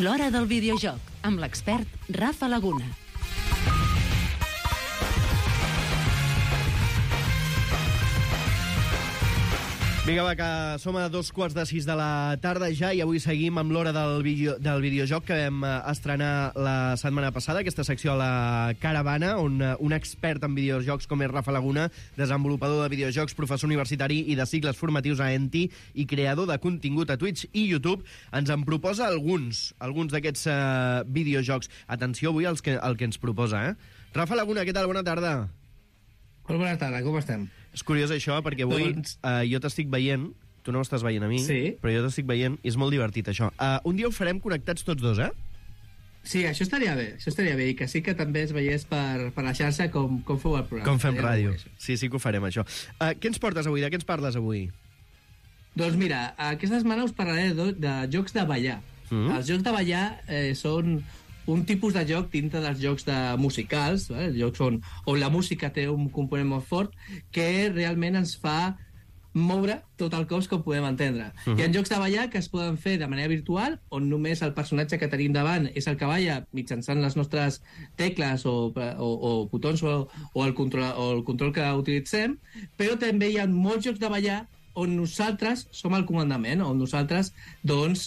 L'Hora del Videojoc, amb l'expert Rafa Laguna. Vinga, va, que som a 5:45 de la tarda ja i avui seguim amb l'Hora del videojoc que vam estrenar la setmana passada, aquesta secció a la Caravana, on un expert en videojocs com és Rafa Laguna, desenvolupador de videojocs, professor universitari i de cicles formatius a ENTI i creador de contingut a Twitch i YouTube, ens en proposa alguns d'aquests videojocs. Atenció avui al que ens proposa, Rafa Laguna, què tal? Bona tarda. Molt bona tarda, com estem? És curiós això, perquè avui jo t'estic veient, tu no m'estàs veient a mi, sí, però jo t'estic veient i és molt divertit això. Un dia ho farem connectats tots dos, Sí, això estaria bé, i que sí que també es veiés per la xarxa com feu el programa. Com fem ràdio. Sí que ho farem, això. Què ens portes avui? De què ens parles avui? Doncs mira, aquesta setmana us parlaré de jocs de ballar. Els jocs de ballar són un tipus de joc dintre dels jocs musicals, jocs on la música té un component molt fort que realment ens fa moure tot el cos com podem entendre. Hi ha jocs de ballar que es poden fer de manera virtual, on només el personatge que tenim davant és el que balla mitjançant les nostres tecles o botons o el control que utilitzem, però també hi ha molts jocs de ballar on nosaltres som el comandament, on nosaltres, doncs,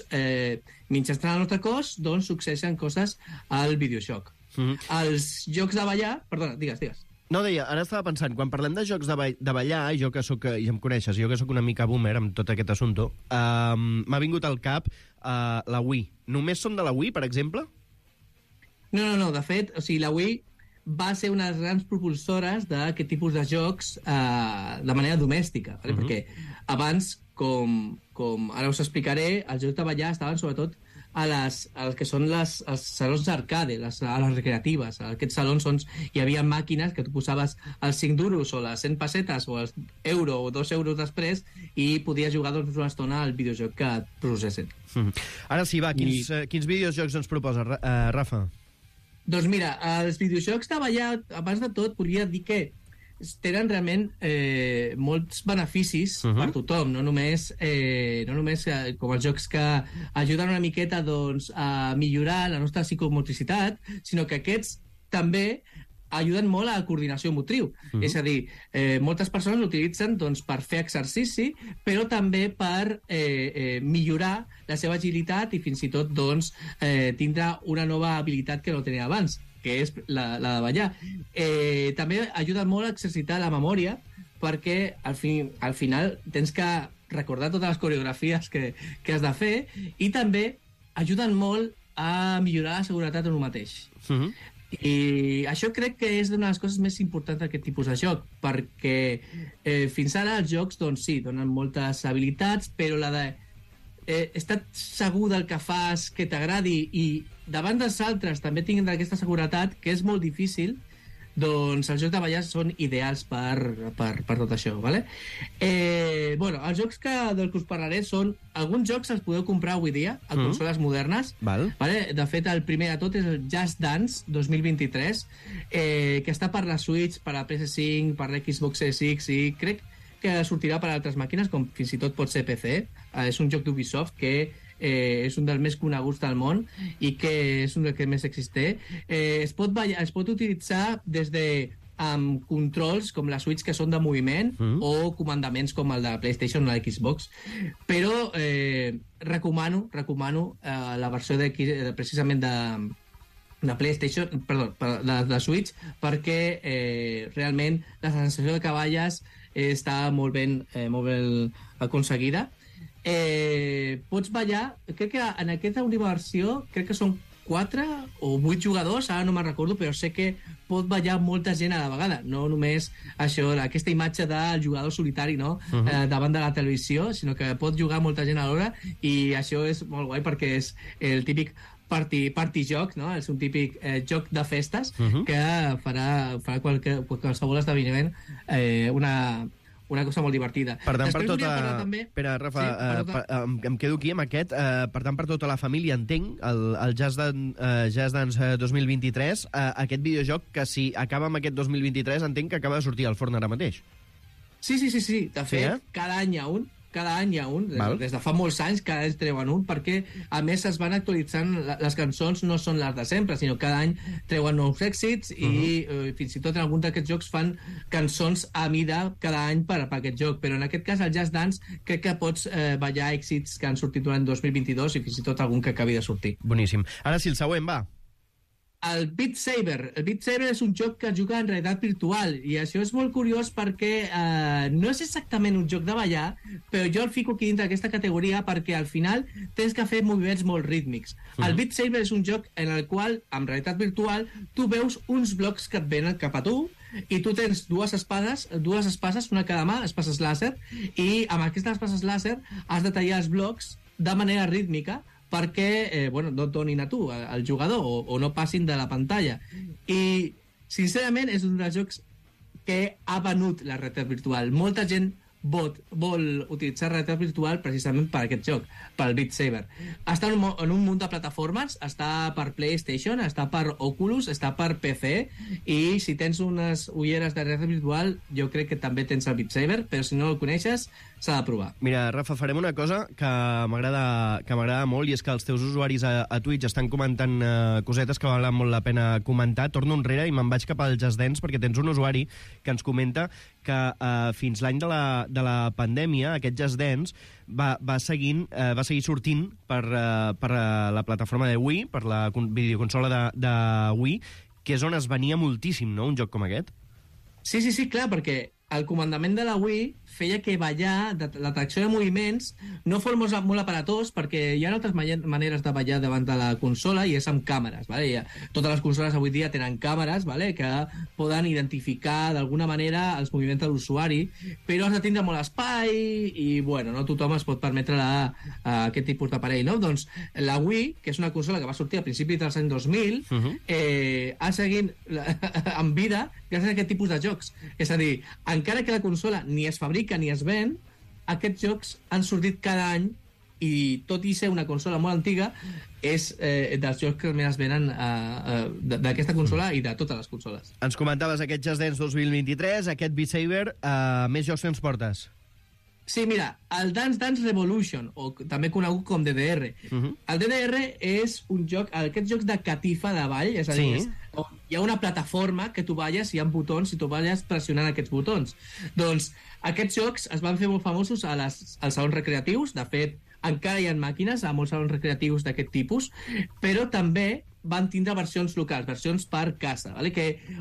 mitjançant el nostre cos, doncs, succeeixen coses al videojoc. Els jocs de ballar... Perdona, digues. No, deia, ara estava pensant, quan parlem de jocs de ballar, jo que soc, ja em coneixes, jo que sóc una mica boomer amb tot aquest assumpte, m'ha vingut al cap la Wii. Només són de la Wii, per exemple? No, de fet, o sigui, la Wii va ser una de les grans propulsores d'aquest tipus de jocs de manera domèstica, perquè abans, com ara us explicaré, els jocs de ballar estaven sobretot als que són els salons d'arcade, a les recreatives. A aquests salons hi havia màquines que tu posaves els 5 duros o les 100 pessetes o els euro o 2 euros després i podies jugar doncs, una estona al videojoc que et processin. Ara sí, va, quins videojocs ens proposa, Rafa? Doncs mira, els videojocs de ballar, abans de tot, podria dir que tenen realment molts beneficis per tothom, no només com els jocs que ajuden una miqueta doncs, a millorar la nostra psicomotricitat, sinó que aquests també ajuden molt a la coordinació motriu. És a dir, moltes persones l'utilitzen doncs, per fer exercici, però també per millorar la seva agilitat i fins i tot doncs, tindre una nova habilitat que no tenia abans, que és la de ballar. També ajuda molt a exercitar la memòria, perquè al final tens que recordar totes les coreografies que has de fer, i també ajuden molt a millorar la seguretat en un mateix. I això crec que és una de les coses més importants d'aquest tipus de joc, perquè fins ara els jocs, doncs sí, donen moltes habilitats, però la de estar segur del que fas, que t'agradi, i davant dels altres també tinguin aquesta seguretat, que és molt difícil, doncs els jocs de ballar són ideals per tot això, ¿vale? Bueno, els jocs dels que us parlaré són... Alguns jocs els podeu comprar avui dia a consoles modernes. ¿Vale? De fet, el primer de tot és el Just Dance 2023, que està per la Switch, per la PS5, per l'Xbox Series X, i crec que sortirà per altres màquines, com fins i tot pot ser PC. És un joc d'Ubisoft que és un dels més coneguts del món i que és un dels que més existeix. Es pot utilitzar des de amb controls com la Switch, que són de moviment, o comandaments com el de la PlayStation o la Xbox, però recomano la versió precisament de PlayStation, perdó, de Switch, perquè realment la sensació de cavalles està molt ben aconseguida. Pots ballar, crec que en aquesta última versió crec que són 4 o 8 jugadors, ara no me'n recordo, però sé que pot ballar molta gent a la vegada, no només això, aquesta imatge del jugador solitari, no? Davant de la televisió, sinó que pot jugar molta gent alhora, i això és molt guai perquè és el típic party joc, no? És un típic joc de festes que farà qualsevol esdeveniment una cosa molt divertida. Per tant, Espera, Rafa, em quedo aquí amb aquest. Per tant, per tota la família, entenc, el Just Dance 2023, aquest videojoc que si acaba amb aquest 2023, entenc que acaba de sortir al forn ara mateix. Sí. De fet, cada any hi ha un, cada any hi ha un, des de fa molts anys, cada any treuen un, perquè a més es van actualitzant, les cançons no són les de sempre, sinó cada any treuen nous èxits i fins i tot en algun d'aquests jocs fan cançons a mida cada any per aquest joc, però en aquest cas el Just Dance crec que pots ballar èxits que han sortit durant 2022 i fins i tot algun que acabi de sortir. Boníssim. Ara sí, el següent, va. El Beat Saber. El Beat Saber és un joc que es juga en realitat virtual i això és molt curiós perquè no és exactament un joc de ballar, però jo el fico aquí dintre d'aquesta categoria perquè al final tens que fer moviments molt rítmics. El Beat Saber és un joc en el qual, en realitat virtual, tu veus uns blocs que et venen cap a tu i tu tens dues espases, una a cada mà, espases làser, i amb aquestes espases làser has de tallar els blocs de manera rítmica perquè no et donin a tu, al jugador, o no passin de la pantalla. I, sincerament, és un dels jocs que ha venut la realitat virtual. Molta gent vol utilitzar realitat virtual precisament per aquest joc, pel Beat Saber. Està en un munt de plataformes, està per PlayStation, està per Oculus, està per PC, i si tens unes ulleres de realitat virtual, jo crec que també tens el Beat Saber, però si no el coneixes, s'ha de provar. Mira, Rafa, farem una cosa que m'agrada molt, i és que els teus usuaris a Twitch estan comentant cosetes que valen molt la pena comentar. Torno enrere i me'n vaig cap al Just Dance, perquè tens un usuari que ens comenta que fins l'any de la pandèmia aquest Just Dance va seguir sortint per la plataforma de Wii, per la videoconsola de Wii, que és on es venia moltíssim, no?, un joc com aquest. Sí, clar, perquè el comandament de la Wii feia que ballar, la tracció de moviments, no fos molt aparatós, perquè hi ha altres maneres de ballar davant de la consola, i és amb càmeres, ¿vale? Totes les consoles avui dia tenen càmeres, ¿vale?, que poden identificar d'alguna manera els moviments de l'usuari, però has de tindre molt espai, i no tothom es pot permetre aquest tipus d'aparell, no? Doncs la Wii, que és una consola que va sortir a principis dels anys 2000, ha seguit en vida gràcies a aquest tipus de jocs. És a dir, encara que la consola ni es fabrica ni es ven, aquests jocs han sortit cada any, i tot i ser una consola molt antiga, és dels jocs que més es venen d'aquesta consola i de totes les consoles. Ens comentaves aquest Just Dance 2023, aquest Beat Saber, més jocs que ens portes? Sí, mira, el Dance Dance Revolution, o també conegut com DDR. El DDR és un joc, aquests jocs de catifa de ball, és a dir, hi ha una plataforma que tu balles i hi ha botons i tu balles pressionant aquests botons. Doncs aquests jocs es van fer molt famosos als salons recreatius. De fet, encara hi ha màquines a molts salons recreatius d'aquest tipus, però també van tindre versions locals, versions per casa, ¿vale?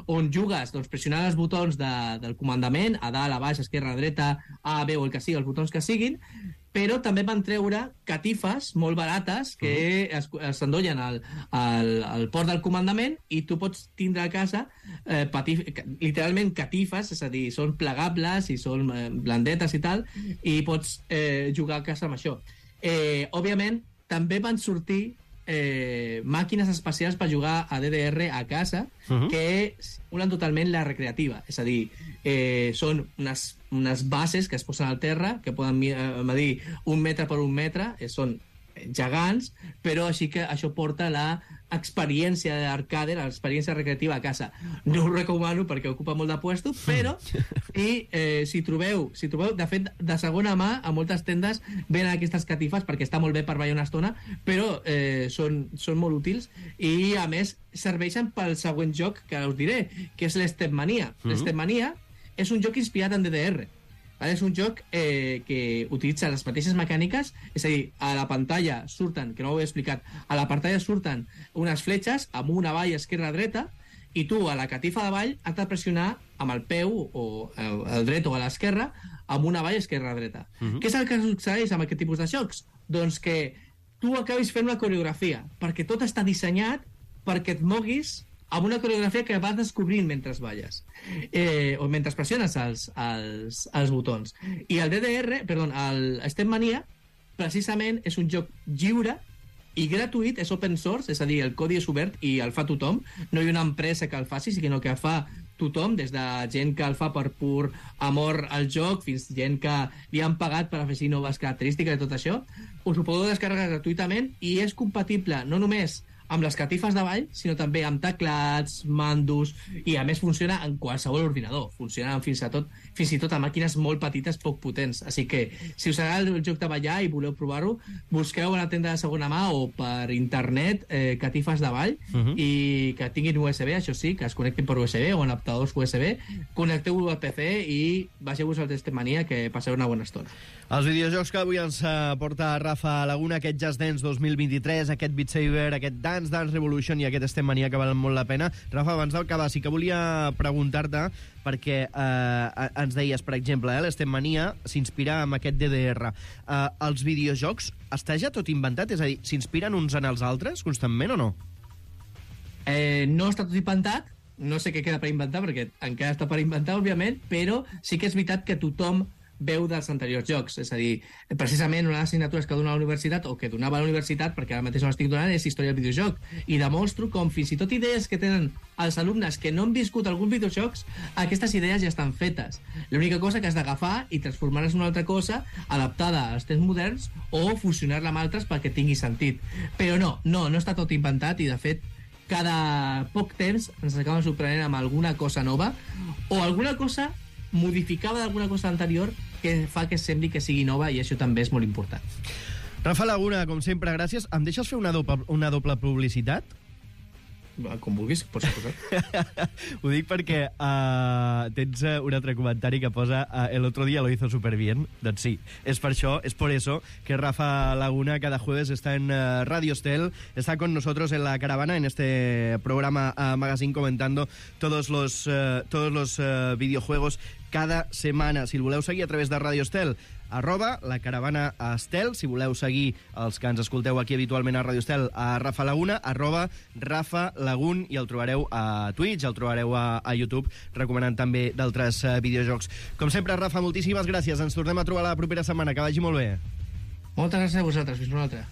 On jugues pressionant els botons del comandament, a dalt, a baix, a esquerra, a dreta, A, B o el que sigui, els botons que siguin, però també van treure catifes molt barates que s'endollen al port del comandament, i tu pots tindre a casa literalment catifes, és a dir, són plegables i són blandetes i tal, i pots jugar a casa amb això. Òbviament, també van sortir màquines especials per jugar a DDR a casa, que simulen totalment la recreativa, és a dir, són unes bases que es posen al terra, que poden medir 1 metre per 1 metre, són gegants, però així que això porta l'experiència d'arcade, l'experiència recreativa a casa. No ho recomano perquè ocupa molt de puesto, però si trobeu, de fet, de segona mà, a moltes tendes venen aquestes catifes perquè està molt bé per ballar una estona, però són molt útils, i a més serveixen pel següent joc que us diré, que és l'Stepmania. L'Stepmania és un joc inspirat en DDR. És un joc que utilitza les mateixes mecàniques, és a dir, a la pantalla surten, que no ho he explicat, a la pantalla surten unes fletxes amunt, avall, esquerra, dreta, i tu a la catifa de ball has de pressionar amb el peu, o el dret o a l'esquerra, amunt, avall, esquerra, dreta. Què és el que succeeix amb aquest tipus de jocs? Doncs que tu acabis fent una coreografia, perquè tot està dissenyat perquè et moguis amb una coreografia que vas descobrint mentre balles, o mentre pressiones els botons. I el Stepmania, precisament, és un joc lliure i gratuït, és open source, és a dir, el codi és obert i el fa tothom. No hi ha una empresa que el faci, sinó que el fa tothom, des de gent que el fa per pur amor al joc, fins gent que li han pagat per afegir noves característiques i tot això. Us ho podeu descarregar gratuïtament, i és compatible no només amb les catifes de ball, sinó també amb teclats, mandos, i a més funciona en qualsevol ordinador. Funciona fins i tot a màquines molt petites, poc potents. Així que, si us agrada el joc de ballar i voleu provar-ho, busqueu a la tenda de segona mà o per internet catifes de ball i que tinguin USB, això sí, que es connectin per USB o en adaptadors USB, connecteu-ho al PC i baixeu-vos al Testemania, que passeu una bona estona. Els videojocs que avui ens porta Rafa Laguna, aquest Just Dance 2023, aquest Beat Saber, aquest Dance Dance Revolution i aquest Stemmania, que valen molt la pena. Rafa, abans d'acabar, sí que volia preguntar-te, perquè ens deies, per exemple, l'Stemmania s'inspira en aquest DDR. Els videojocs està ja tot inventat? És a dir, s'inspiren uns en els altres constantment o no? No està tot inventat, no sé què queda per inventar, perquè encara està per inventar, òbviament, però sí que és veritat que tothom veu dels anteriors jocs. És a dir, precisament una de les assignatures que dona a la universitat, o que donava a la universitat, perquè ara mateix no l'estic donant, és història del videojoc. I demostro com fins i tot idees que tenen els alumnes que no han viscut alguns videojocs, aquestes idees ja estan fetes. L'única cosa que has d'agafar i transformar-les en una altra cosa adaptada als temps moderns o fusionar-la amb altres perquè tingui sentit. Però no està tot inventat i, de fet, cada poc temps ens acaben sorprenent amb alguna cosa nova o alguna cosa modificada d'alguna cosa anterior que fa que sembli que sigui nova, i això també és molt important. Rafa Laguna, com sempre, gràcies. Em deixes fer una doble publicitat? Com vulguis, pots posar. Ho dic perquè tens un altre comentari que posa el otro día lo hizo súper bien. Doncs sí, es por eso que Rafa Laguna cada jueves está en Radio Estel, está con nosotros en la caravana, en este programa Magazine, comentando todos los videojuegos cada setmana. Si el voleu seguir a través de Radio Estel, @lacaravana_estel. Si voleu seguir els que ens escolteu aquí habitualment a Radio Estel, a Rafa Laguna, @RafaLagun, i el trobareu a Twitch, el trobareu a YouTube, recomanant també d'altres videojocs. Com sempre, Rafa, moltíssimes gràcies. Ens tornem a trobar la propera setmana. Que vagi molt bé. Moltes gràcies a vosaltres. Fins una altra.